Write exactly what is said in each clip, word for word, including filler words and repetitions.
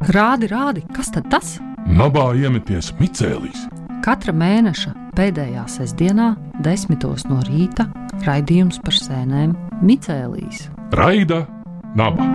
Rādi, rādi, kas tad tas? Nabā iemeties micēlīs. Katra mēneša pēdējā sestdienā, desmitos no rīta, raidījums par sēnēm micēlīs. Raida naba.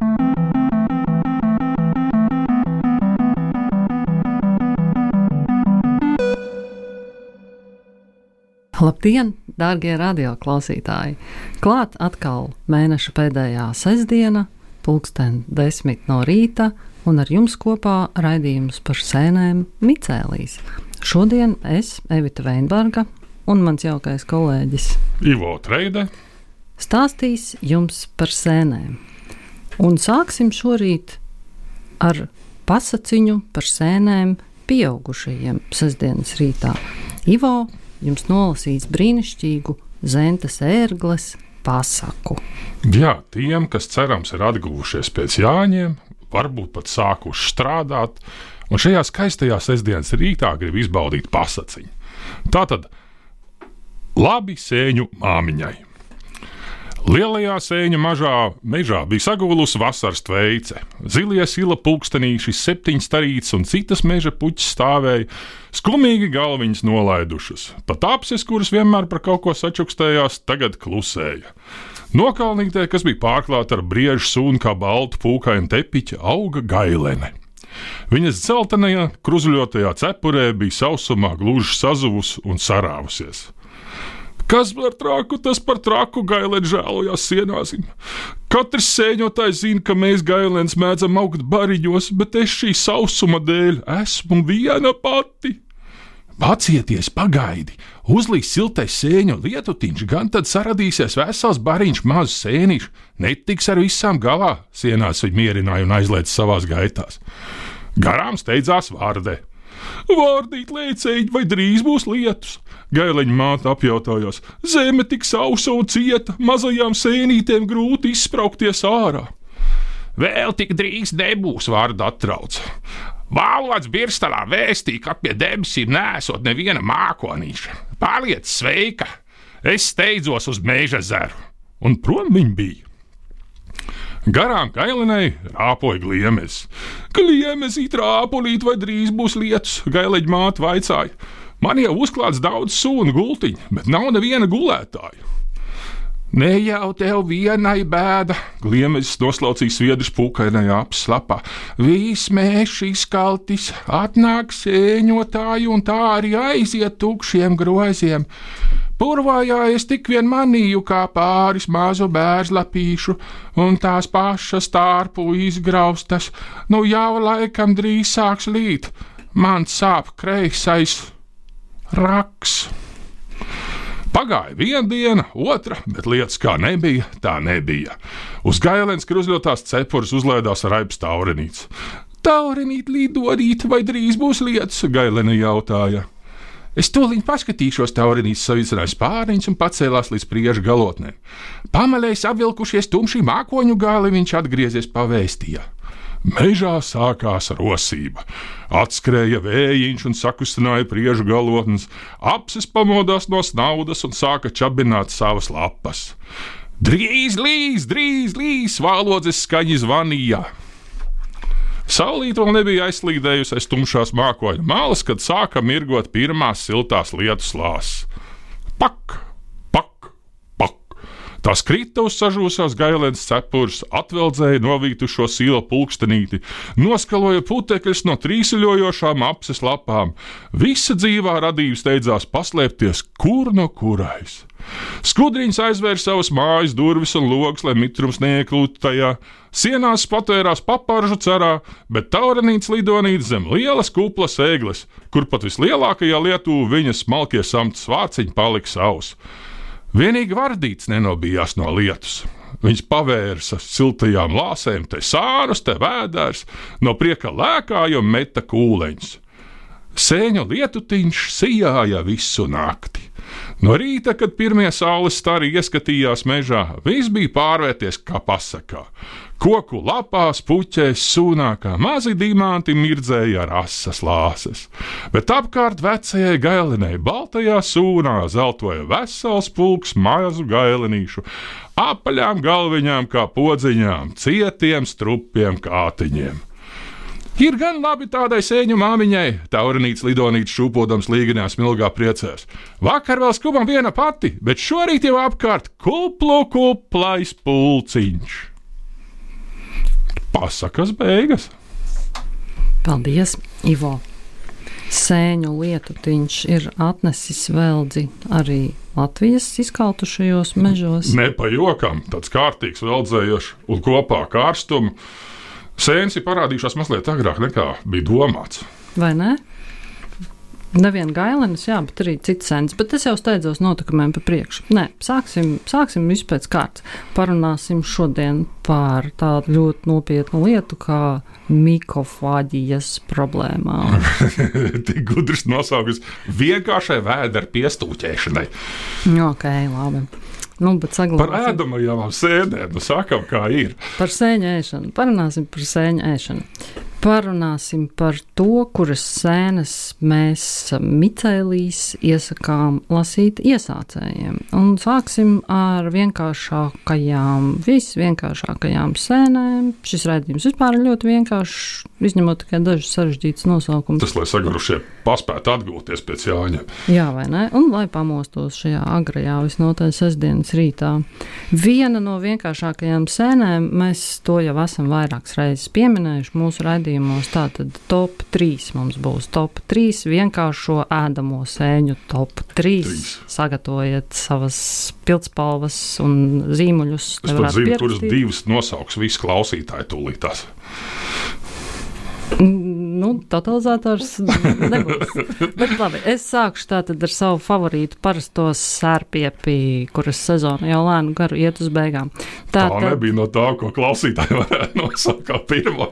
Labdien, dārgie radioklausītāji! Klāt atkal mēneša pēdējā sestdiena, pulksten desmit no rīta, un ar jums kopā raidījums par sēnēm micēlīs. Šodien es, Evita Veinberga, un mans jaukais kolēģis Ivo Treide stāstīs jums par sēnēm. Un sāksim šorīt ar pasaciņu par sēnēm pieaugušajiem sestdienas rītā. Ivo jums nolasīs brīnišķīgu Zentas ērgles pasaku. Jā, tiem, kas cerams ir atguvušies pēc Jāņiem, varbūt pat sākuši strādāt, un šajā skaistajā sestdienas rītā grib izbaudīt pasaciņu. Tātad, labi sēņu māmiņai. Lielajā sēņa mažā mežā bija sagulusi vasaras tveice. Zilie sila pulkstenīši, septiņas starītes un citas meža puķis stāvēja, skumīgi galviņas nolaidušas. Pat apses, kuras vienmēr par kaut ko sačukstējās, tagad klusēja. Nokalnītē, kas bija pārklāta ar briežu sūnu kā baltu pūkainu tepiķa, auga gailene. Viņas dzeltenajā, kruzuļotajā cepurē bija sausumā gluži sazuvusi un sarāvusies. Kas par traku, tas par traku, gailēn žēlojās sienāsim. Katrs sēņotājs zina, ka mēs gailēns mēdzam augt bariņos, bet es šī sausuma dēļ esmu viena pati. Pacieties, pagaidi, uzlīs siltais sēņu lietutiņš, gan tad saradīsies vesels bariņš mazu sēnišu, netiks ar visām galā, sienās viņa mierināja un aizlēca savās gaitās. Garām steidzās Vārde. Vārdīt, lēcēji, vai drīz būs lietus? Gaileņa māte apjautājās. Zeme tik sausa un cieta, mazajām sēnītēm grūti izspraukties ārā. Vēl tik drīz nebūs, Vārda atrauc. Vālots Birstalā vēstīja, ka pie debesīm neesot neviena mākonīša. Paliec sveika, es steidzos uz Meža zeru. Un prom viņa bija. Garām gailenei rāpoja gliemes. Gliemezīt, rāpulīt, vai drīz būs lietus, Gaileņa māte vaicāja. Man jau uzklāts daudz sūnu gultiņu, bet nav neviena gulētāja. Ne jau tev vienai bēda, Gliemezis noslaucīja sviedrus pūkainajā apslapā. Viss mēžs izkaltis, atnāk sēņotāji un tā arī aiziet tukšiem groziem. Purvājā es tik vien manīju kā pāris mazu bērzlapīšu, un tās pašas tārpu izgraustas, nu jau laikam drīz sāks līt, man sāp kreisais raks. Pagāja viena diena, otra, bet lietas kā nebija, tā nebija. Uz gailēns kruzļotās cepures uzlaidās Raibs Taurenīts. Taurenīt, lidodīt, vai drīz būs lietas, gailene jautāja. Es tūliņ paskatīšos, Taurenīts savicināja spāriņus un pacēlās līdz priežu galotnēm. Pamalējis apvilkušies tumšī mākoņu gali, viņš atgriezies pavēstījā. Mežā sākās rosība. Atskrēja vējiņš un sakustināja priežu galotnes, apses pamodās no snaudas un sāka čabināt savas lapas. Drīz līs, drīz līs, vālodzes skaņi zvanīja. Saulīt vēl nebija aizslīdējusi aiz tumšās mākoņu malas, kad sāka mirgot pirmās siltās lietus lāses. Pak, pak, pak. Tās krita uz sažūsās gailēnas cepures, atveldzēja novītušo sīla pulkstenīti, noskaloja putekļus no trīsuļojošām apses lapām. Visa dzīvā radība steidzās paslēpties kur no kurais. Skudriņš aizvēra savas mājas durvis un logus, lai mitrums neiekļūtu tajā. Sienās patērās paparžu cerā, bet Taurenīts lidonīt zem lielas kuplas ēgles, kur pat vislielākajā Lietuvā viņas smalkie samtas vārciņi palika savs. Vienīgi Vardīts nenobijās no lietus. Viņš pavērsa siltajām lāsēm te sārus, te vēdērs, no prieka lēkāja un meta kūleņus. Sēņu lietutiņš sijāja visu nakti. No rīta, kad pirmie saules stari ieskatījās mežā, viss bija pārvērties kā pasakā. Koku lapās, puķēs, sūnā kā mazi dimanti mirdzēja ar asas lāses. Bet apkārt vecajai gailenei baltajā sūnā zeltoja vesels pulks mazu gailenīšu, apaļām galviņām kā podziņām, cietiem strupiem kātiņiem. Ir gan labi tādai sēņu māmiņai, taurinīts lidonīts šūpodams līganā smilgā priecēs. Vakar vēl skubam viena pati, bet šorīt jau apkārt kuplu kuplais pulciņš. Pasakas beigas. Paldies, Ivo. Sēņu lietutiņš ir atnesis veldzi arī Latvijas izkaltušajos mežos. Ne pa jokam, tāds kārtīgs veldzējošs un kopā karstumu. Sēnes ir parādījušās mazliet agrāk nekā bija domāts. Vai ne? Nevien gailenis, jā, bet arī cits sēnes. Bet es jau steidzos notikumiem pa priekšu. Nē, sāksim, sāksim visu pēc kārtas. Parunāsim šodien par tādu ļoti nopietnu lietu kā mikofāģijas problēmām. Tik gudrs nosaukums vienkāršai vēdera piestūķēšanai. Ok, labi. Nu, par ēdamajām sēnēm, nu sakam, kā ir. Par sēņu ēšanu. Parunāsim par sēņu ēšanu. Parunāsim par to, kuras sēnes mēs micēlīs iesakām lasīt iesācējiem. Un sāksim ar vienkāršākajām, visvienkāršākajām sēnēm. Šis raidījums vispār ir ļoti vienkāršs, izņemot tikai dažus sarežģītus nosaukumus. Tas, lai sagurušie paspētu atgūties pēc Jāņa. Jā, vai ne? Un lai pamostos šajā agrajā visnotaļ sestdienas rītā. Viena no vienkāršākajām sēnēm, mēs to jau esam vairākas reizes pieminējuši mūsu raidījumos. Tātad top trīs mums būs. Top trīs vienkāršo ēdamo sēņu top trīs. Sagatavojiet savas pildspalvas un zīmuļus. Es pat zinu, kuras divas nosauks visi klausītāji tūlītās. Nu, totalizators nebūs. Bet labi, es sākšu tātad ar savu favorītu parasto sērpiepi, kuras sezona jau lēnu garu iet uz beigām. Tā, tā nebija no tā, ko klausītāji varētu nosaukt kā pirmo.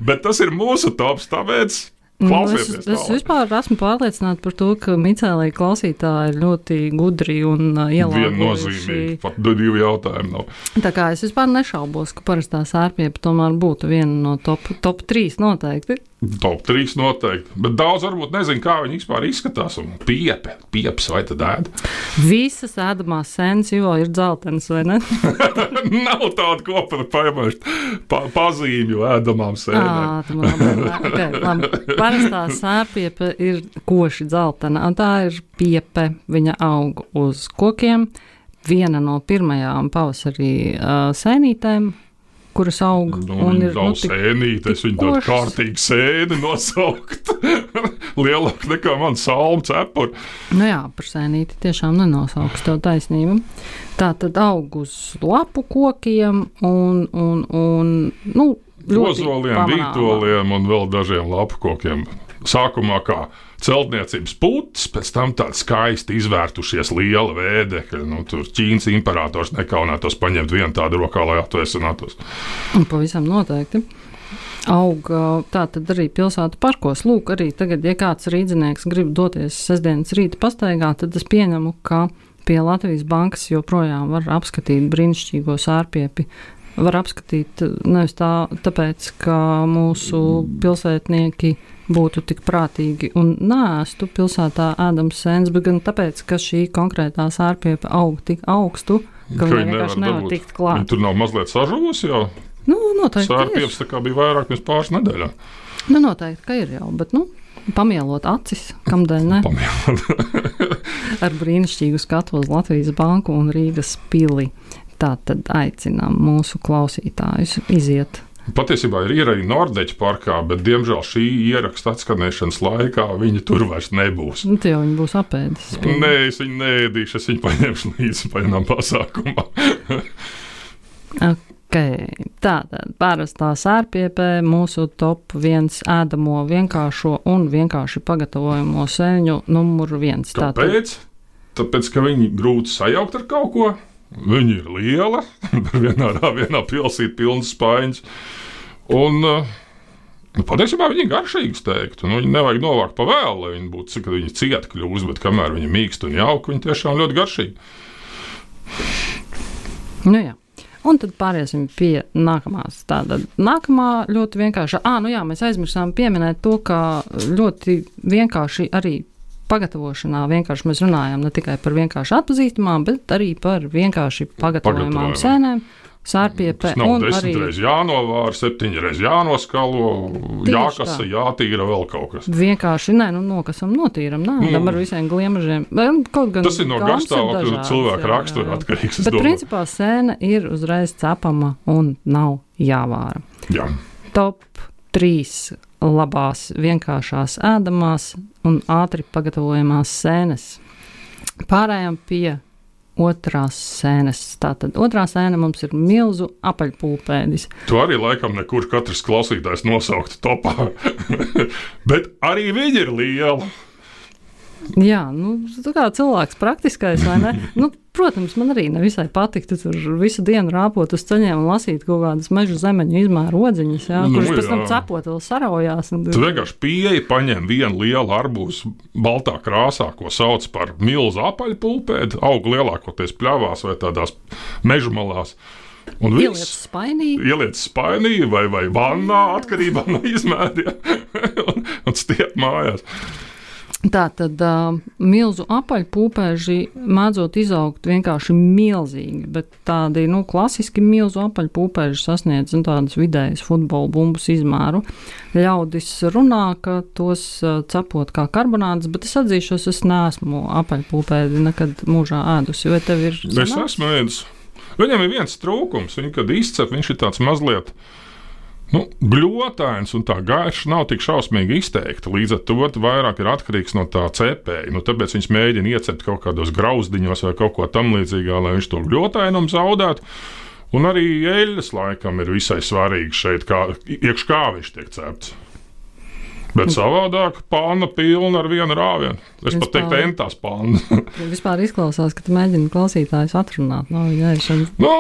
Bet tas ir mūsu tops, tāpēc klausieties. Es, es vispār esmu pārliecināta par to, ka Micēlija klausītāji ir ļoti gudri un uh, ielāgojuši. Viennozīmīgi, pat divi jautājumi nav. Tā kā es vispār nešaubos, ka parastā sērpiepa tomēr būtu viena no top, top trīs noteikti. Top trīs noteikti, bet daudz varbūt nezinu, kā viņi vispār izskatās, un piepe, pieps vai tad ēd? Visas ēdamās sēnes jau ir dzeltenas, vai ne? Nav tāda kopana paimēšt pa, pazīmju ēdamām sēnēm. Ā, labi, okay, labi. Parastā sērpiepa ir koši dzeltena, un tā ir piepe, viņa aug uz kokiem, viena no pirmajām pavasarī uh, sēnītēm, kuras aug. Nu, un ir nav nu, tik, sēnīte, es viņu tādu kārtīgu sēni nosaukt. Lielāk nekā man salmu cepuri. Nu jā, par sēnīti tiešām nenosauks tev taisnību. Tā tad aug uz lapu kokiem un, un, un nu, ļoti Ozoliem, vītoliem un vēl dažiem lapu kokiem. Sākumā kā celtniecības putas, pēc tam tādi skaisti izvērtušies liela vēdekļa. Nu, tur Ķīnas imperators nekaunētos paņemt vienu tādu rokā, lai atvēsinātos. Un pavisam noteikti. Aug tā tad arī pilsētu parkos. Lūk, arī tagad, ja kāds rīdzinieks grib doties sestdienas rīta pastaigā, tad es pieņemu, ka pie Latvijas bankas joprojām var apskatīt brīnišķīgo sērpiepi. Var apskatīt nevis tā, tāpēc, ka mūsu pilsētnieki būtu tik prātīgi un nēstu pilsētā ēdams sēnes, bet gan tāpēc, ka šī konkrētā sērpiepa aug tik augstu, ka viņa vienkārši nevar dabūt. Tikt klāt. Viņa tur nav mazliet sažuvusi jau? Nu, noteikti Sērpieps tā kā bija vairāk mēs pāris nedēļā. Nu, noteikti, ka ir jau, bet, nu, pamielot acis, kamdēļ ne? Pamielot. Ar brīnišķīgu skatu uz Latvijas banku un Rīgas pili. Tā tad aicinām mūsu klausītājus iziet. Patiesībā ir ierēģi Nordeķa parkā, bet, diemžēl, šī ieraksta atskanēšanas laikā viņi tur vairs nebūs. Nu, tie jau viņi būs apēdis. Nē, es viņu neēdīšu, es viņu paņemšu līdzi paņemam pasākumā. Ok, tātad parastā sērpiepē mūsu top viens ēdamo vienkāršo un vienkārši pagatavojamo sēņu numuru viens. Kāpēc? Tāpēc, ka viņi grūti sajaukt ar kaut ko. Viņa ir liela, vienā, vienā pilsīt pilns spaiņas. Un, nu, patiesībā viņi ir garšīgas teiktu. Nu, viņi nevajag novākt pa vēlu, lai viņi būtu, kad viņi cieti kļūst, bet kamēr viņi mīkst un jauka, viņi tiešām ļoti garšīgi. Nu jā. Un tad pāriesim pie nākamās. Tātad nākamā ļoti vienkārša. Ā, nu jā, mēs aizmirsām pieminēt to, ka ļoti vienkārši arī pagatavošanā vienkārši mēs runājam ne tikai par vienkārši atpazīstamām, bet arī par vienkārši pagatavojamām sēnēm. Sārpiepe. Tas nav un desmit arī reiz jānovāra, septiņi reiz jānoskalo, Tieši jākasa, tā. jātīra vēl kaut kas. vienkārši, nē, nu, nokasam, notīram, nē, Nu, tam ar visiem gliemažiem. Kaut gan Tas ir no gaumas garstāvokļa dažādas, cilvēka jā, jā, rakstura jā. atkarīgs, es Bet domāju. principā sēna ir uzreiz cepama un nav jāvāra. Jā. Top trīs labās, vienkāršās ēdamās un ātri pagatavojamās sēnes. Pārējām pie otrās sēnes. Tātad otrā sēne mums ir milzu apaļpulpēdis. Tu arī laikam nekur katrs klausītājs nosaukt topā. Bet arī viņi ir liela. Jā, nu, tu kā cilvēks praktiskais, vai ne? Nu, protams, man arī nevisai patiktu tur visu dienu rāpot uz ceļiem un lasīt kaut kādas mežu zemeņu izmēru odziņas, jā, Nu, kuras pēc jā. tam cepot vēl saraujās. Un... Tu vienkārši pieeji, paņem vienu lielu arbūzu baltā krāsā, ko sauc par milzu apaļpulpēdi, aug lielākoties pļavās vai tādās mežu malās. Un Ieliec viss spainī. ieliec spainī vai, vai vannā, atkarībā no izmēriem, un, un stiep mājās. Tā tad uh, milzu apaļpūpēži mēdzot izaugt vienkārši milzīgi, bet tādi, nu, klasiski milzu apaļpūpēži sasniedz nu, tādas vidējas futbola bumbas izmēru. Ļaudis runā, ka tos uh, cepot kā karbonādes, bet es atzīšos, es neesmu apaļpūpēdi nekad mūžā ēdusi, vai tev ir Es sanāks? esmu ēdis. Viņam ir viens trūkums, viņu, kad izcep, viņš ir tāds mazliet nu, gļotains un tā gaiša nav tik šausmīgi izteikta. Līdz ar to vairāk ir atkarīgs no tā cepēja. Nu, tāpēc viņš mēģina iecept kaut kādos grauzdiņos vai kaut ko tam līdzīgā, lai viņš to gļotainumu zaudētu. Un arī eļļas laikam ir visai svarīgi šeit, kā, iekš kā viņš tiek cepts. Bet savādāk pāna pilna ar vienu rāvienu. Es pat teiktu, Vispār- entās pāna. Vispār izklausās, ka tu mēģini klausītājus atrunāt no viņa ēšanas, Nu,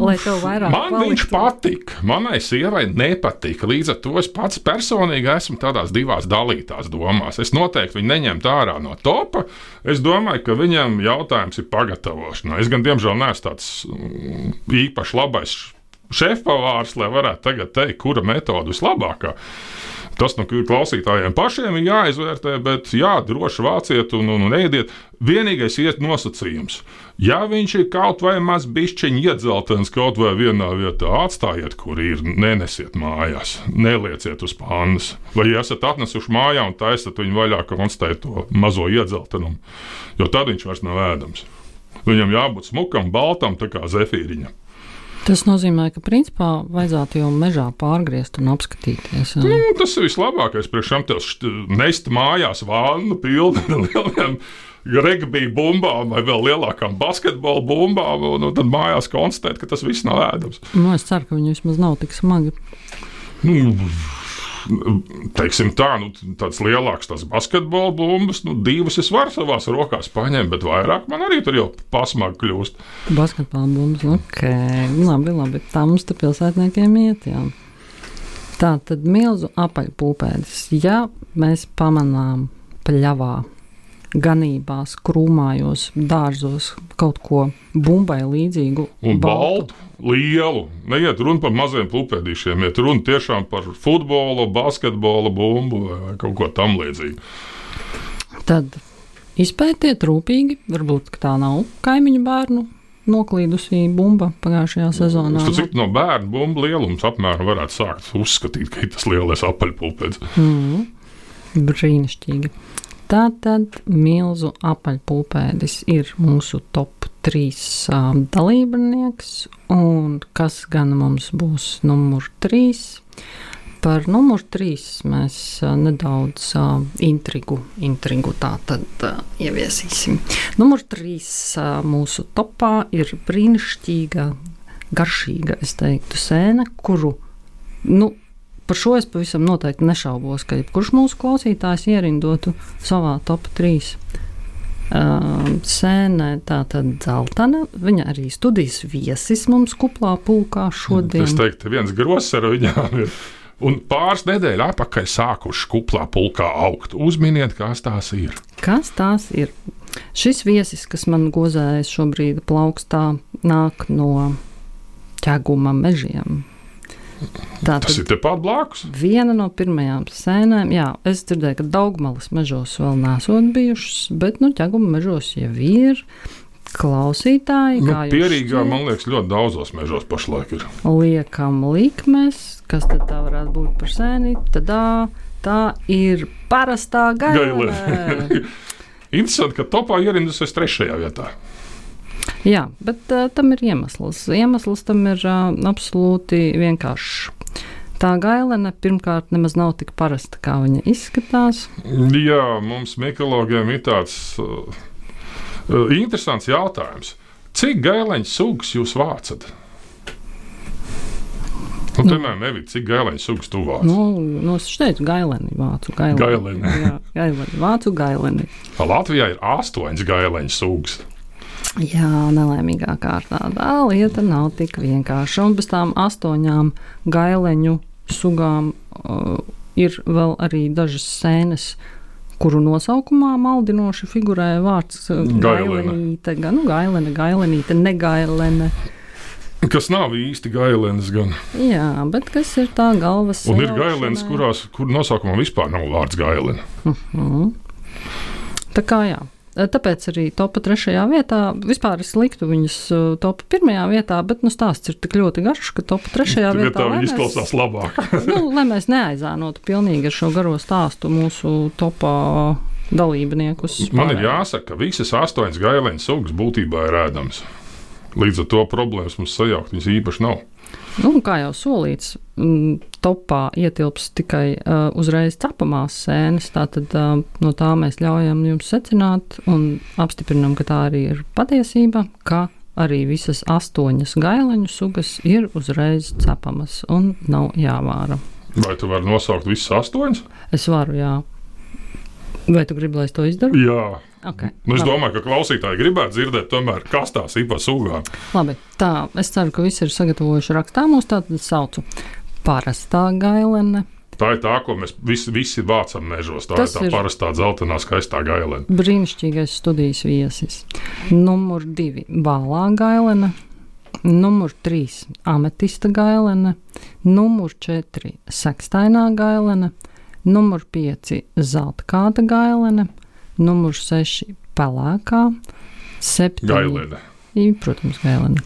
lai tev vairāk man paliktu. viņš patika. Manai sievai nepatika. Līdz ar to es pats personīgi esmu tādās divās dalītās domās. Es noteikti viņu neņemtu ārā no topa. Es domāju, ka viņam jautājums ir pagatavošanā. Es gan, diemžēl, neesmu tāds mm, īpaši labais šefpavārs, lai varētu tagad teikt, kura metode vislabākā. Tas no klausītājiem pašiem ir jāizvērtē, bet jā, droši vāciet un, un, un ēdiet. Vienīgais iet nosacījums. Ja viņš ir kaut vai maz bišķiņi iedzeltens kaut vai vienā vietā, atstājiet, kur ir, nenesiet mājās, nelieciet uz pānas. Vai ja esat atnesuši mājā un taisat viņu vaļā, konstatēt to mazo iedzeltenumu, jo tad viņš vairs nav ēdams. Viņam jābūt smukam, baltam, tā kā zefīriņam. Tas nozīmē, ka principā vajadzētu jau mežā pārgriezt un apskatīties. Jā. Nu, tas ir vislabākais. Priekš tam tev št- nest mājās vānu pilnu ar lieliem regbija bumbām vai vēl lielākām basketbola bumbām, un, un tad mājās konstatēt, ka tas viss nav ēdams. Nu, es ceru, ka viņi vismaz nav tik smagi. Nu, teiksim tā, nu, tāds lielāks tās basketbola bumbas, nu, divas es varu savās rokās paņemt, bet vairāk man arī tur jau pasmagi kļūst. Basketbola bumbas, ok. Labi, labi. Tā mums te pilsētniekiem iet, jā. Tā tad milzu apaļpūpēdis. Ja mēs pamanām pļavā, ganībās, krūmājos, dārzos kaut ko bumbai līdzīgu. Un baltu, lielu. Neiet runa par maziem pulpēdīšiem, iet runa tiešām par futbola, basketbola bumbu vai kaut ko tam līdzīgu. Tad izpētiet rūpīgi, varbūt ka tā nav kaimiņu bērnu noklīdusī bumba pagājušajā sezonā. Tas cik no bērnu bumbu lielums apmēram varētu sākt uzskatīt, ka ir tas lielais apaļpulpēds. Mm, brīnišķīgi. Tātad milzu apaļpulpēdis ir mūsu top trīs uh, dalībnieks, un kas gan mums būs numur trīs? Par numur trīs mēs uh, nedaudz uh, intrigu, intrigu tā tad uh, ieviesīsim. Numur trīs uh, mūsu topā ir brīnišķīga, garšīga, es teiktu, sēne, kuru, nu, par šo es pavisam noteikti nešaubos, ka jebkurš mūsu klausītājs ierindotu savā top trīs. Uh, sēne tā tad dzeltena, viņa arī studijas viesis mums kuplā pulkā šodien. Es teiktu, viens gross ar viņām ir. Un pāris nedēļu atpakaļ sākuši kuplā pulkā augt. Uzminiet, kas tās ir. Kas tās ir? Šis viesis, kas man gozējas šobrīd plaukstā, nāk no ķeguma mežiem. Tā Tas ir tepat blakus. Viena no pirmajām sēnēm, jā, es dzirdēju, ka Daugmalas mežos vēl nesot bijušas, bet, nu, ķeguma mežos jau ir. klausītāji, Nu, kā jūs pierīgā, šķiet, man liekas, ļoti daudzos mežos pašlaik ir. liekam likmes, kas tad tā varētu būt par sēni, tad tā ir parastā gailene. Interesanti, ka topā ierindusies trešajā vietā. Jā, bet uh, tam ir iemesls. Iemesls tam ir uh, absolūti vienkāršs. Tā gailene pirmkārt nemaz nav tik parasta, kā viņa izskatās. Jā, mums mikologiem ir tāds uh, uh, interesants jautājums. Cik gaileņu sugas jūs vācat? Nu, piemēram, Evita, cik gaileņu sugas tu vāc? Nu, nu es teicu gaileni, vācu gaileni. Gaileni. Jā, gaileni, vācu gaileni. Latvijā ir astoņas gaileņu sugas. Jā, nelaimīgā kārtā. Tā lieta nav tik vienkārša. Un bez tām astoņām gaileņu sugām uh, ir vēl arī dažas sēnes, kuru nosaukumā maldinoši figurē vārds uh, gailenīte. Gan nu, gailene, gailenīte, negailene. Kas nav īsti gailenes gan. Jā, bet kas ir tā galvas Un ir sajaušanai? gailenes, kurās, kur nosaukumā vispār nav vārds gailene. Uh-huh. Tā kā jā. Tāpēc arī topa trešajā vietā. Vispār es liktu viņas topa pirmajā vietā, bet nu, stāsts ir tik ļoti garš, ka topa trešajā vietā. Tā viņi izklausās labāk. nu, lai mēs neaizānotu pilnīgi ar šo garo stāstu mūsu topā dalībniekus. Man ir jāsaka, ka visas astoņas gaileņu sugas būtībā ir ēdamas. Līdz ar to problēmas mums sajaukt viņas īpaši nav. Nu, kā jau solīts, m, topā ietilps tikai uh, uzreiz cepamās sēnes, tātad uh, no tā mēs ļaujam jums secināt un apstiprinam, ka tā arī ir patiesība, ka arī visas astoņas gaileņu sugas ir uzreiz cepamas un nav jāvāra. Vai tu vari nosaukt visas astoņas? Es varu, jā. Vai tu gribi, lai es to izdaru? Jā. Okay, nu, es labi. domāju, ka klausītāji gribētu dzirdēt tomēr, kas tās ir pa sugām. Labi, tā, es ceru, ka visi ir sagatavojuši rakstā mūs, tātad saucu parastā gailene. Tā ir tā, ko mēs visi, visi vācam mežos. Tā Tas ir tā ir parastā dzeltenā skaistā gailene. Brīnišķīgais studijas viesis. Numur divi bālā gailene. Numur trīs ametista gailene. Numur četri sekstainā gailene. Numur pieci zeltkāta gailene. Numur seši pelēkā, septiņi, gailene. Protams, gailene,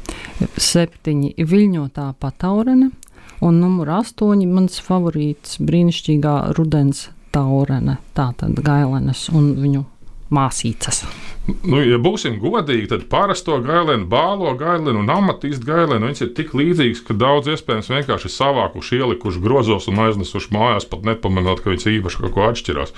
septiņi viļņotā pataurene un numur astoņi mans favorīts brīnišķīgā rudens taurene, tātad gailenes un viņu māsīcas. Nu, ja būsim godīgi, tad parasto gaileni, bālo gaileni un amatīstu gaileni, viņas ir tik līdzīgas, ka daudz iespējams vienkārši ir savākuši, ielikuši grozos un aiznesuši mājās, pat nepamanot, ka viņas īpaši kaut ko atšķirās.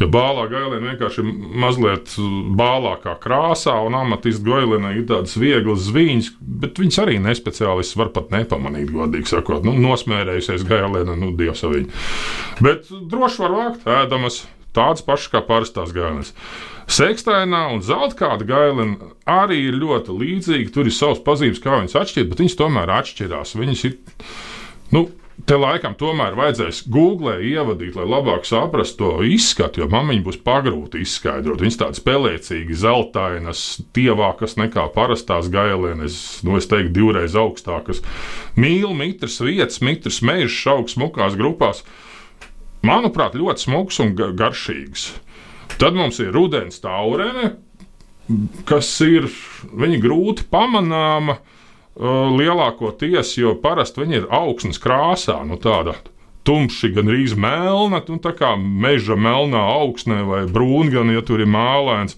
Ja bālā gaileni vienkārši ir mazliet bālākā krāsā un amatīstu gaileni ir tādas vieglas zviņas, bet viņas arī nespeciālists var pat nepamanīt, godīgi sakot. Nu, nosmērējusies gaileni, nu, dievs saviņi. Bet droši var vākt ēdamas. Tādas pašas kā parastās gailenes. Sekstainā un zeltkāta gailene arī ir ļoti līdzīga. Tur ir savas pazīmes, kā viņas atšķirt, bet viņas tomēr atšķirās. Viņas ir, nu, te laikam tomēr vajadzēs Googlē ievadīt, lai labāk saprastu to izskatu, jo man viņa būs pagrūti izskaidrot. Viņas tādas spēlēcīgi, zeltainas, tievākas nekā parastās gailenes, nu, es teiktu, divreiz augstākas. Mīl, mitrs vietas, mitrs mežs, aug smukās grupās. Manuprāt, ļoti smuks un garšīgs. Tad mums ir rudens taurene, kas ir viņa grūti pamanāma uh, lielākoties, jo parasti viņa ir augsnes krāsā, nu tāda tumši, gan rīz melna, nu tā kā meža melnā augsnē vai brūna, gan, ja tur ir mēlēns.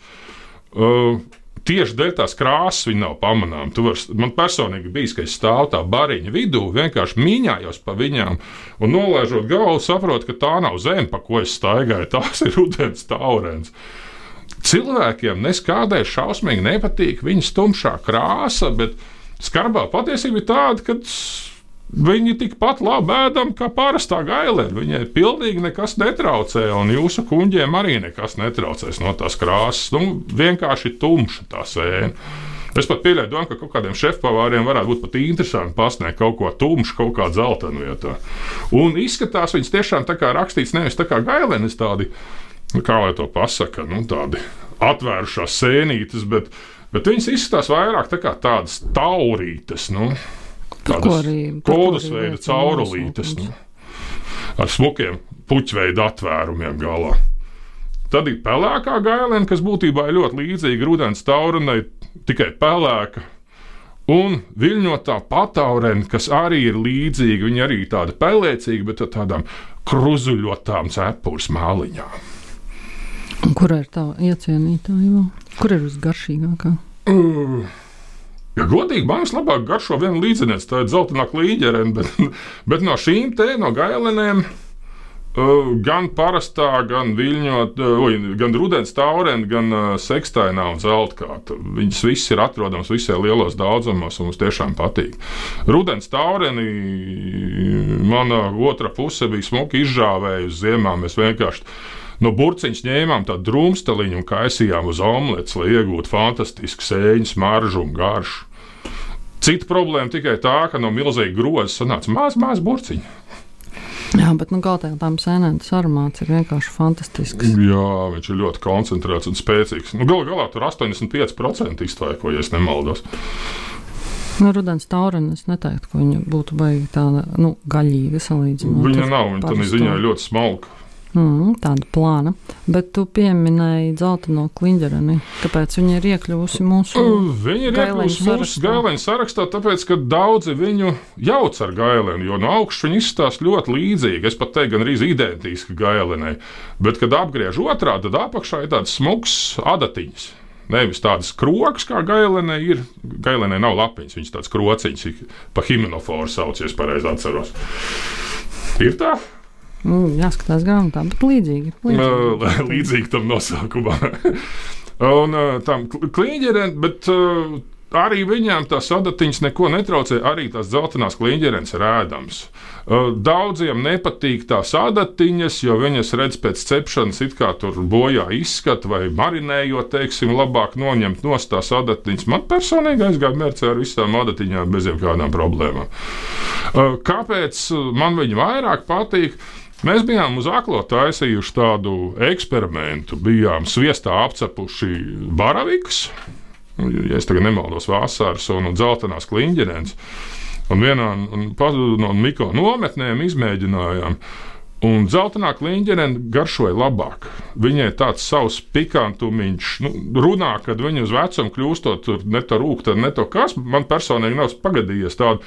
Uh, Tieši dēļ tās krāsas viņa nav pamanāma. Man personīgi bija, ka es stāvu tā bariņa vidū, vienkārši mīņājos pa viņām un nolaižot galvu, saprotu, ka tā nav zeme, pa ko es staigāju. Tās ir rudens taurens. Cilvēkiem neskādēļ šausmīgi nepatīk viņas tumšā krāsa, bet skarbā patiesība ir tāda, ka viņi tikpat labi ēdami kā parastā gailene. Viņai pilnīgi nekas netraucē, un jūsu kuņģiem arī nekas netraucēs no tās krāsas. Nu, vienkārši tumša tā sēne. Es pat pieļauju domu, ka kaut kādiem šefpavāriem varētu būt pat interesanti pasniegt kaut ko tumšu, kaut kā dzeltenu vietā. Un izskatās viņas tiešām tā kā rakstīts nevis tā kā gailenes tādi, kā lai to pasaka, nu tādi atvērušās sēnītes, bet, bet viņas izskatās vairāk tā kā tādas taurītes, nu. Tādas kodusveida caurulītes, nu, ar smukiem puķveida atvērumiem galā. Tad ir pelēkā gailene, kas būtībā ir ļoti līdzīga rudens taurenei, tikai pelēka. Un viļņotā pataurene, kas arī ir līdzīga, viņa arī ir tāda pelēcīga, bet ar tādām kruzuļotām cepures māliņām. Kur ir tā iecienītāja? Kur ir visgaršīgākā? Uh, ja godīgi, man vislabāk garšo viena līdziniec, tā ir dzeltenā klīģerene, bet, bet no šīm te, no gailenēm, uh, gan parastā, gan viļņot, uh, gan rudens taurene, gan uh, sekstainā un zeltkāta. Viņas viss ir atrodams visai lielos daudzumos un mums tiešām patīk. Rudens taureni mana otra puse bija smuki izžāvējusi ziemā, mēs vienkārši no burciņas ņēmām tādu drumsteliņu un kaisījām uz omlets, lai iegūtu fantastisku sēņu smaržu un garšu. Cita problēma tikai tā, ka no milzīga groza sanāca maz, maz burciņa. Jā, bet nu kaut kā tām sēnēm tas aromāts ir vienkārši fantastisks. Jā, viņš ir ļoti koncentrēts un spēcīgs. Nu, galu galā tur astoņdesmit pieci procenti iztvaiko, ja es nemaldos. Nu, rudens taurene, es neteiktu, ka viņa būtu baigi tāda, nu, gaļīga salīdzinot. Viņa nav, viņa tādā ziņā ļoti smalka. Mm, tāda plāna, bet tu pieminēji dzelteno kliņģereni. Kāpēc viņa ir iekļuvusi mūsu Viņa ir iekļuvusi mūsu gaileņu sarakstā, tāpēc, ka daudzi viņu jauc ar gaileni, jo no augšas viņa izskatās ļoti līdzīgi, es pat teiktu, gan arī identiski gailenei, bet, kad apgriež otrā, tad apakšā ir tāds smuks adatiņas. Nevis tādas krokas, kā gailenei ir. Gailenei nav lapiņas, viņas tāds krociņas, pa himenoforu sauc, ja es pareizi atceros. Ir tā? Mm, jāskatās grāmatā, bet līdzīgi. Līdzīgi, līdzīgi tam nosaukumam. Un tam kliņģerēm, bet uh, arī viņām tās adatiņas neko netraucē, arī tās dzeltenās kliņģerēns ir ēdams. Uh, daudziem nepatīk tās adatiņas, jo viņas redz pēc cepšanas it kā tur bojā izskatu vai marinējot, teiksim, labāk noņemt nost tās adatiņas. Man personīgi aizgāja mērcē ar visām adatiņām bez jebkādām problēmām. Uh, kāpēc man viņa vairāk patīk? Mēs bijām uz aklo taisījuši tādu eksperimentu, bijām sviestā apcepuši baravikas, ja es tagad nemaldos, vasaras un dzeltenās kliņģerēns, un vienā no mikro nometnēm izmēģinājām, un dzeltenā kliņģerēna garšoja labāk. Viņai tāds savs pikantumiņš, nu, runā, kad viņa uz vecumu kļūstot, tur ne to rūk, ne to kas, man personīgi nav pagadījies tādu,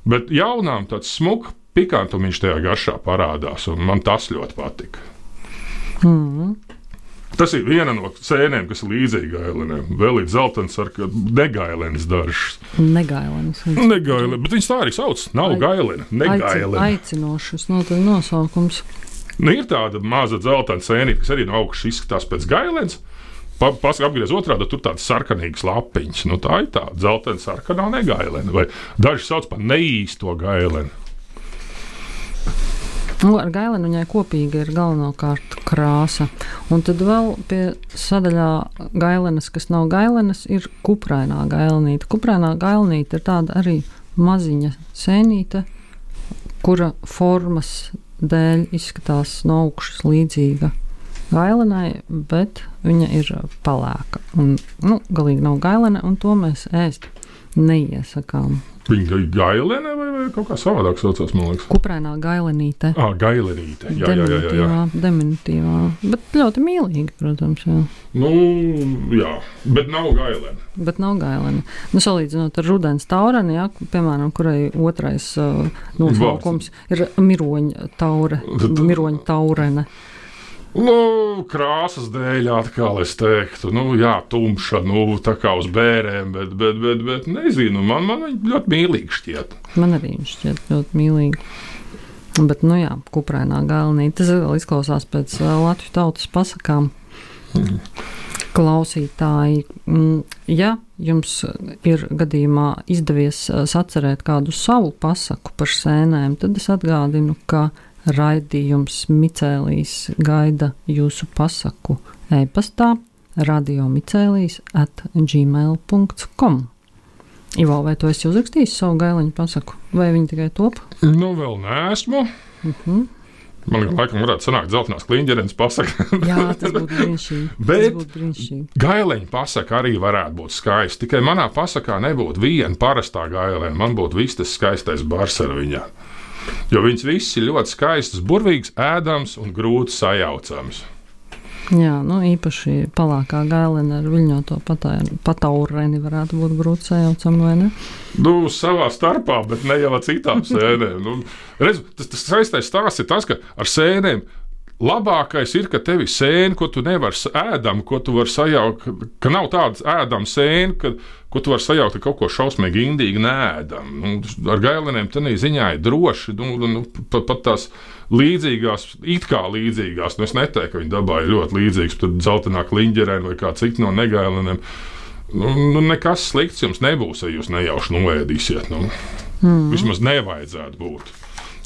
bet jaunām tāds smuk pikantumiņš tajā garšā parādās, un man tas ļoti patika. Mm. Tas ir viena no sēnēm, kas ir līdzīga gailenēm. Vēl ir dzeltens ar negailenes dažas. Negailenes. Negailene, bet viņas tā arī sauc. Nav Ai, gailene, negailene. Aicinošas no tā nosaukums. Nu, ir tāda maza dzeltena sēnīte, kas arī no augšas izskatās pēc gailenes. Pa, pas, apgriez otrādi, tur tādas sarkanīgas lapiņas. Nu, tā ir tā dzeltena sarkanā negailene. Vai daži sauc par neīsto gaileni. Nu, ar gaileni viņai kopīgi ir galvenokārt krāsa. Un tad vēl pie sadaļā gailenes, kas nav gailenes, ir kuprainā gailenīte. Kuprainā gailenīte ir tāda arī maziņa sēnīte, kura formas dēļ izskatās no augšas līdzīga gailenai, bet viņa ir pelēka. Un, nu, galīgi nav gailene, un to mēs ēst neiesakām. Viņa ir gailene vai, vai kaut kā savādāk saucās, man liekas? Kuprainā gailenīte. Ah, gailenīte. Jā, jā, jā, jā, jā. Diminutīvā. Bet ļoti mīlīgi, protams, jā. Nu, jā, bet nav gailene. Bet nav gailene. Nu, salīdzinot ar rudens taureni, jā, piemēram, kurai otrais uh, nosaukums ir miroņa taure, miroņa taurene. Nu, krāsas dēļ atkal es teiktu, nu jā, tumša, nu tā kā uz bērēm, bet, bet, bet, bet nezinu, man, man viņa ļoti mīlīgi šķiet. Man arī viņa šķiet ļoti mīlīgi. Bet, nu jā, kuprainā gailenīte, tas vēl izklausās pēc uh, Latviju tautas pasakām. Mm. Klausītāji, ja jums ir gadījumā izdevies sacerēt kādu savu pasaku par sēnēm, tad es atgādinu, ka raidījums Micēlīs gaida jūsu pasaku e-pastā radiomicēlīs at gmail dot com. Ivo, vai tu esi uzrakstījis savu gaileņu pasaku? Vai viņi tikai top? Nu, vēl neesmu. Uh-huh. Man laikam varētu sanākt dzeltenās kliņģerenes pasaka. Jā, tas būtu brīnišķīgi. Bet gaileņa pasaka arī varētu būt skaista. Tikai manā pasakā nebūtu viena parastā gaileņa. Man būtu viss tas skaistais bars ar viņā. Jo viņas viss ir ļoti skaistas, burvīgs, ēdams un grūti sajaucams. Jā, nu īpaši palākā gailena ar viļņoto pataureni varētu būt grūti sajaucam, vai ne? Nu, savā starpā, bet ne jau ar citām sēnēm. Nu, redz, tas, tas saistais stāsts ir tas, ka ar sēnēm labākais ir, ka tev ir sēne, ko tu nevari ēdam, ko tu vari sajaukt, ka nav tādas ēdama sēne, ka, ko tu vari sajaukt ar kaut ko šausmīgi indīgi neēdam. Nu, ar gailenēm tenī ziņā ir droši, nu, nu, pat, pat tās līdzīgās, it kā līdzīgās, nu es neteiktu, ka viņi dabā ir ļoti līdzīgas, tad zeltenā kliņģerēna vai kā cita no negailenēm. Nu, nu, nekas slikts jums nebūs, ja jūs nejauši noēdīsiet. Nu. Mm. Vismaz nevajadzētu būt.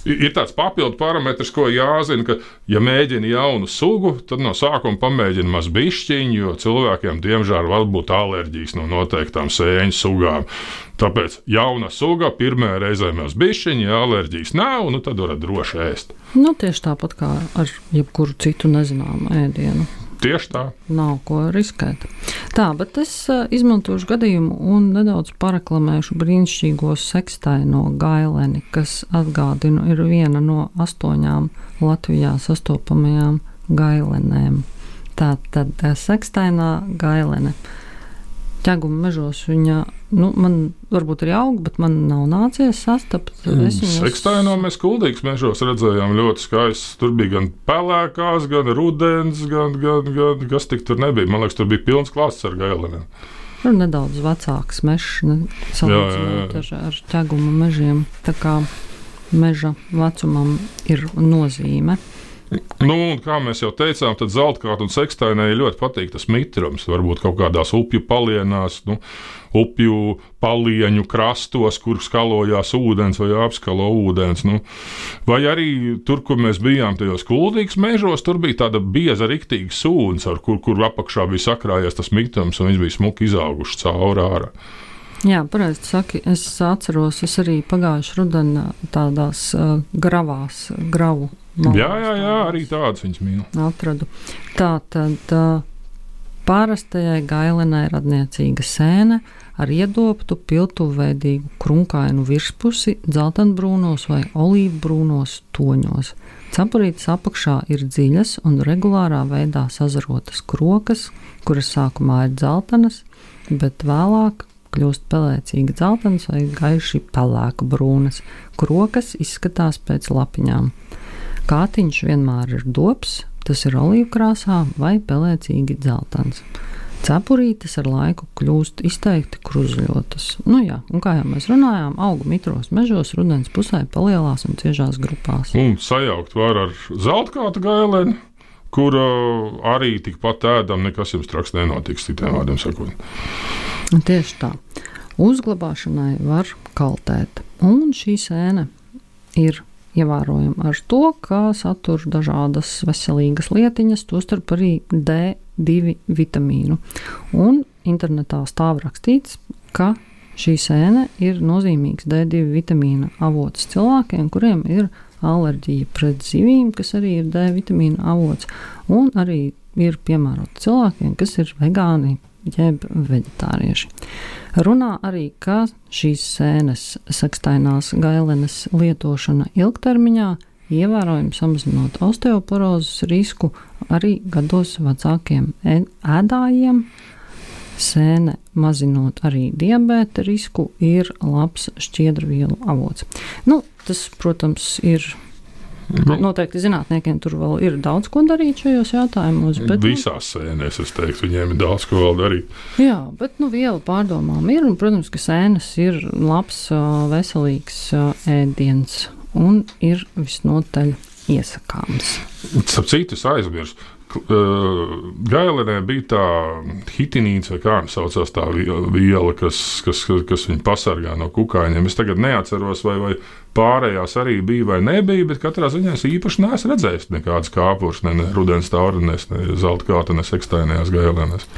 Ir tāds papildu parametrs, ko jāzina, ka, ja mēģina jaunu sugu, tad no sākuma pamēģina maz bišķiņu, jo cilvēkiem, diemžēl, var būt alerģijas no noteiktām sēņu sugām. Tāpēc jauna suga pirmajā reizē maz bišķiņu, ja alerģijas nav, nu tad varat droši ēst. Nu, tieši tāpat kā ar jebkuru citu nezināmu ēdienu. Tieši tā. Nav ko riskēt. Tā, bet es uh, izmantošu gadījumu un nedaudz pareklamēšu brīnišķīgo sekstaino gaileni, kas, atgādinu, ir viena no astoņām Latvijā sastopamajām gailenēm. Tā tad sekstainā gailene. Ķeguma mežos viņa, nu, man varbūt arī aug, bet man nav nācies sastapt. Mm. Sekstaino mēs Kuldīgas mežos redzējām ļoti skaisti. Tur bija gan pelēkās, gan rudens, gan, gan, gan kas tik tur nebija. Man liekas, tur bija pilns klāsts ar gailenēm. Tur nedaudz vecāks mežs, ne, salīdzinot ar, ar ķeguma mežiem. Tā kā meža vecumam ir nozīme. Nu, kā mēs jau teicām, tad zeltkāta un sekstainai ļoti patīk tas mitrums. Varbūt kaut kādās upju palienās, nu, upju palieņu krastos, kur skalojās ūdens vai apskalo ūdens. Nu. Vai arī tur, kur mēs bijām tajos Kuldīgas mežos, tur bija tāda bieza riktīga sūns, ar kur, kur apakšā bija sakrājies tas mitrums, un viņš bija smuki izauguši cauri ārā. Jā, pareizi saki, es atceros, es arī pagājuši rudenī tādās uh, gravās, gravu malās. Jā, jā, jā, arī tādas viņas mīl. Atradu. Tā tad uh, pārastajai gailenai radniecīga sēne ar iedobtu piltuveidīgu krunkainu virspusi dzeltenbrūnos vai olīvbrūnos toņos. Cepurītes apakšā ir dziļas un regulārā veidā sazarotas krokas, kuras sākumā ir dzeltenas, bet vēlāk kļūst pelēcīgi dzeltenas vai gaiši pelēku brūnas. Krokas izskatās pēc lapiņām. Kātiņš vienmēr ir dobs, tas ir olīvkrāsā vai pelēcīgi dzeltens. Cepurītes ar laiku kļūst izteikti kruzļotas. Nu jā, un kā jau mēs runājām, auga mitros mežos rudens pusē palielās un ciešās grupās. Un sajaukt var ar zeltkāta gaileni, kur uh, arī tikpat ēdam, nekas jums traks nenotiks, citiem vārdiem sakot. Tieši tā. Uzglabāšanai var kaltēt. Un šī sēne ir ievērojama ar to, ka satur dažādas veselīgas lietiņas, tostarp arī D divi vitamīnu. Un internetā stāv rakstīts, ka šī sēne ir nozīmīgs D divi vitamīna avots cilvēkiem, kuriem ir alerģija pret zivīm, kas arī ir D vitamīna avots, un arī ir piemērota cilvēkiem, kas ir vegāni jeb veģetārieši. Runā arī, ka šīs sēnes sekstainās gailenes lietošana ilgtermiņā ievērojami samazinot osteoporozes risku arī gados vecākiem ēdājiem. Sēne mazinot arī diabēta risku ir labs šķiedrvielu avots. Nu, tas, protams, ir noteikti zinātniekiem tur vēl ir daudz ko darīt šajos jautājumos. Bet, Visās sēnēs, es teiktu, viņiem ir daudz ko vēl darīt. Jā, bet nu viela pārdomām ir, un, protams, ka sēnes ir labs, veselīgs ēdiens un ir visnotaļ iesakāms. Starp citu, es aizmirsu. Gailenē bija tā hitinīns, vai kā viņa saucās tā viela, kas, kas, kas viņu pasargā no kukaiņiem. Es tagad neatceros, vai, vai pārējās arī bija vai nebija, bet katrā ziņā es īpaši neesmu redzējis nekādas kāpurs, ne, ne rudens taurenēs, ne zeltkāta, ne sekstainajās gailenēs.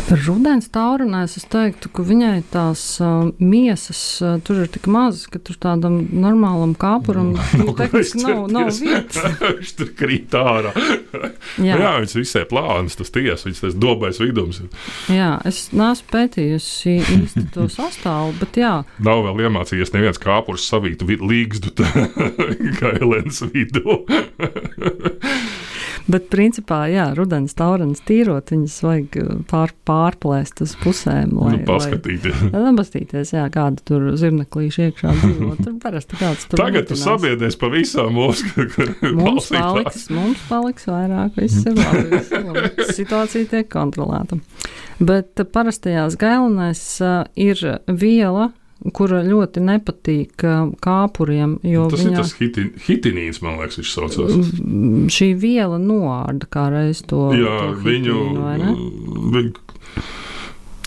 Rudens taurenēs es teiktu, ka viņai tās uh, miesas uh, tur ir tik mazas, ka tur tādam normālam kāpuram no, tehniski nav, nav vietas. Viņš tur krīt ārā. Jā, Jā viņš visai plānas, tas ties, viņš tas dobais vidums. Jā, es neesmu pētījusi īsti to sastāvu, bet jā. Nav vēl iemācījies neviens kāpurs savīt līgzdu gailenes vidū. Bet, principā, jā, rudens taurenes tīrot, viņas vajag pār, pārplēst uz pusēm. Lai, nu, paskatīties. Lai, paskatīties, jā, kāda tur zirneklīši iekšā dzīvo. Tur parasti kāds tur Tagad tu sabiedies pa visām mūsu mums paliks, mums paliks vairāk, viss ir labi, viss ir labi. Situācija tiek kontrolēta. Bet parastajās gailenēs uh, ir viela, kura ļoti nepatīk kāpuriem, jo tas viņa, ir tas hiti, hitinīns, man liekas, viņš saucās. Šī viela noārda kā reiz to, jā, to viņu, hitīnu, vai ne? Viņu,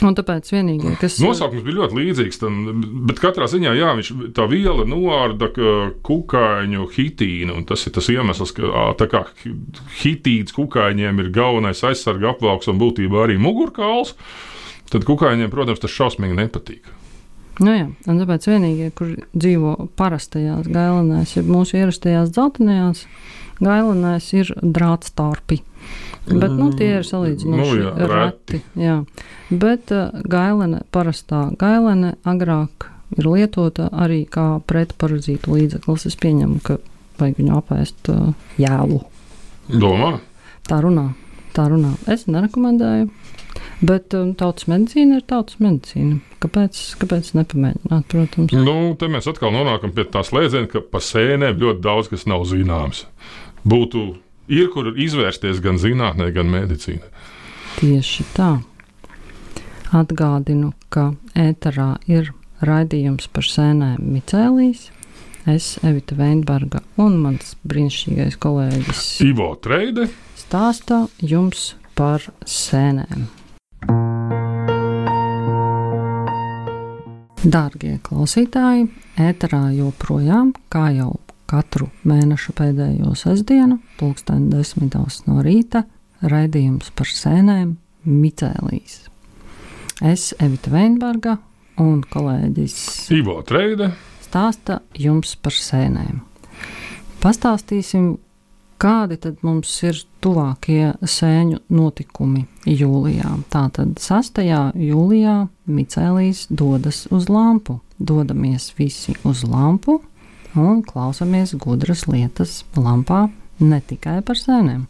un tāpēc vienīgie, kas... Nosaukums bija ļoti līdzīgs, tam, bet katrā ziņā, jā, viņš, tā viela noārda kukaiņu hitīnu, un tas ir tas iemesls, ka tā kā hitīts kukaiņiem ir galvenais aizsarga apvalks un būtībā arī mugurkauls, tad kukaiņiem, protams, tas šausmīgi nepatīk. Nu jā, un tāpēc vienīgie, kur dzīvo parastajās gailenēs, ja mūsu ierastajās dzeltenajās gailenēs ir drātstarpi. Bet, nu, tie ir salīdzinoši nu, jā, reti. Jā. Bet uh, gailene, parastā gailene agrāk ir lietota arī kā pretparazītu līdzeklis. Es pieņemu, ka vajag viņu apēst uh, jēlu. Domā? Tā runā, tā runā. Es nerekomendēju. Bet um, tautas medicīna ir tautas medicīna. Kāpēc, kāpēc nepamēģināt, protams? Nu, te mēs atkal nonākam pie tā slēdziena, ka pa sēnēm ļoti daudz kas nav zināms. Būtu, ir kur izvērsties gan zinātnē, gan medicīnā. Tieši tā. Atgādinu, ka ēterā ir raidījums par sēnēm micēlijas. Es, Evita Veinberga un mans brīnišķīgais kolēģis Ivo Treide stāstā jums par sēnēm. Dārgie klausītāji, ēterā joprojām, kā jau katru mēneša pēdējo sestdienu, pulksten desmitos no rīta, raidījums par sēnēm micēlijas. Es, Evita Veinberga un kolēģis Ivo Treide stāsta jums par sēnēm. Pastāstīsim, kādi tad mums ir tuvākie sēņu notikumi jūlijā. Tātad sastajā jūlijā micēlijas dodas uz lampu. Dodamies visi uz lampu un klausamies gudras lietas lampā, ne tikai par sēnēm.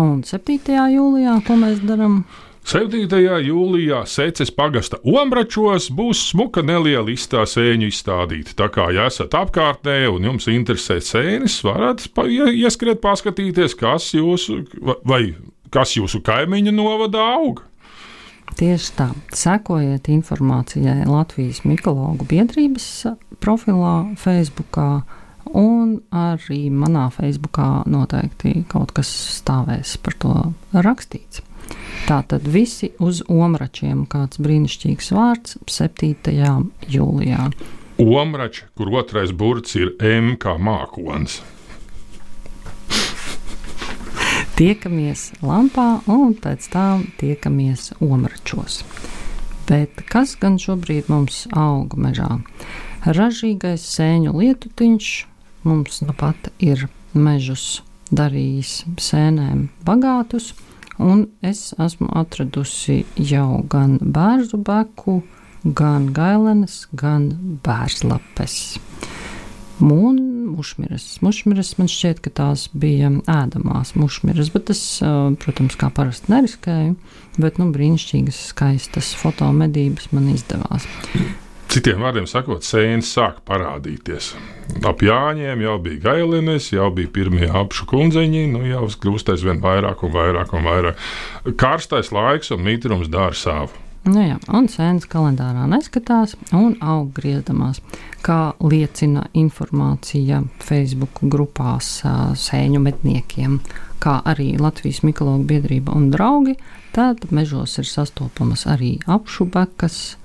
Un septītajā jūlijā, ko mēs darām? septītajā jūlijā Seces pagasta Omračos būs smuka neliela izstā sēņu izstādīta. Tā kā, ja esat apkārtnē un jums interesē sēnes, varat pa, ieskriet paskatīties, kas jūsu, vai kas jūsu kaimiņa novadā aug. Tieši tā. Sekojiet informācijai Latvijas mikologu biedrības profilā Facebookā, un arī manā Facebookā noteikti kaut kas stāvēs par to rakstīts. Tātad visi uz Omračiem, kāds brīnišķīgs vārds, septītajā jūlijā. Omrači, kur otrais burts ir M kā mākonis. Tiekamies lampā un pēc tam tiekamies Omračos. Bet kas gan šobrīd mums aug mežā? Ražīgais sēņu lietutiņš mums nu pat ir mežus darījis sēnēm bagātus, un es esmu atradusi jau gan bērzu beku, gan gailenes, gan bērzlapes. Un mušmiras. Mušmiras man šķiet, ka tās bija ēdamās mušmiras, bet es, protams, kā parasti neriskēju, bet nu brīnišķīgas, skaistas fotomedības man izdevās. Citiem vārdiem sakot, sēnes sāk parādīties. Ap Jāņiem jau bija gailenes, jau bija pirmie apšu kundzeņi, nu jau kļūst aizvien vairāk un vairāk un vairāk. Karstais laiks un mitrums dara savu. Nu jā, un sēnes kalendārā neskatās un aug griezdamās, kā liecina informācija Facebook grupās sēņu medniekiem, kā arī Latvijas mikologu biedrība un draugi, tad mežos ir sastopamas arī apšu bekas,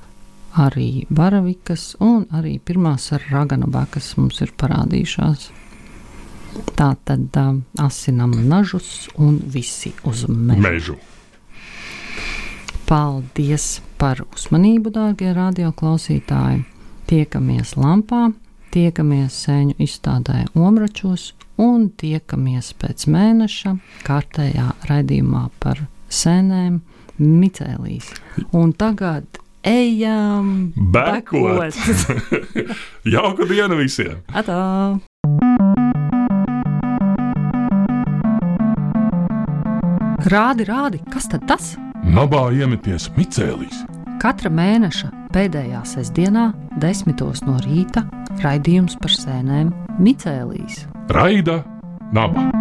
arī baravikas un arī pirmās raganu bekas mums ir parādījušās. Tā tad uh, asinam nažus un visi uz mežu. mežu. Paldies par uzmanību, dārgie radioklausītāji. Tiekamies lampā, tiekamies sēņu izstādē Omračos un tiekamies pēc mēneša kārtējā raidījumā par sēnēm micēlīs. Un tagad ejam bekot! Jauku dienu visiem! Atā! Rādi, rādi, kas tad tas? Nabā iemeties micēlīs. Katra mēneša pēdējā sestdienā, desmitos no rīta, raidījums par sēnēm Micēlīs. Raida Naba.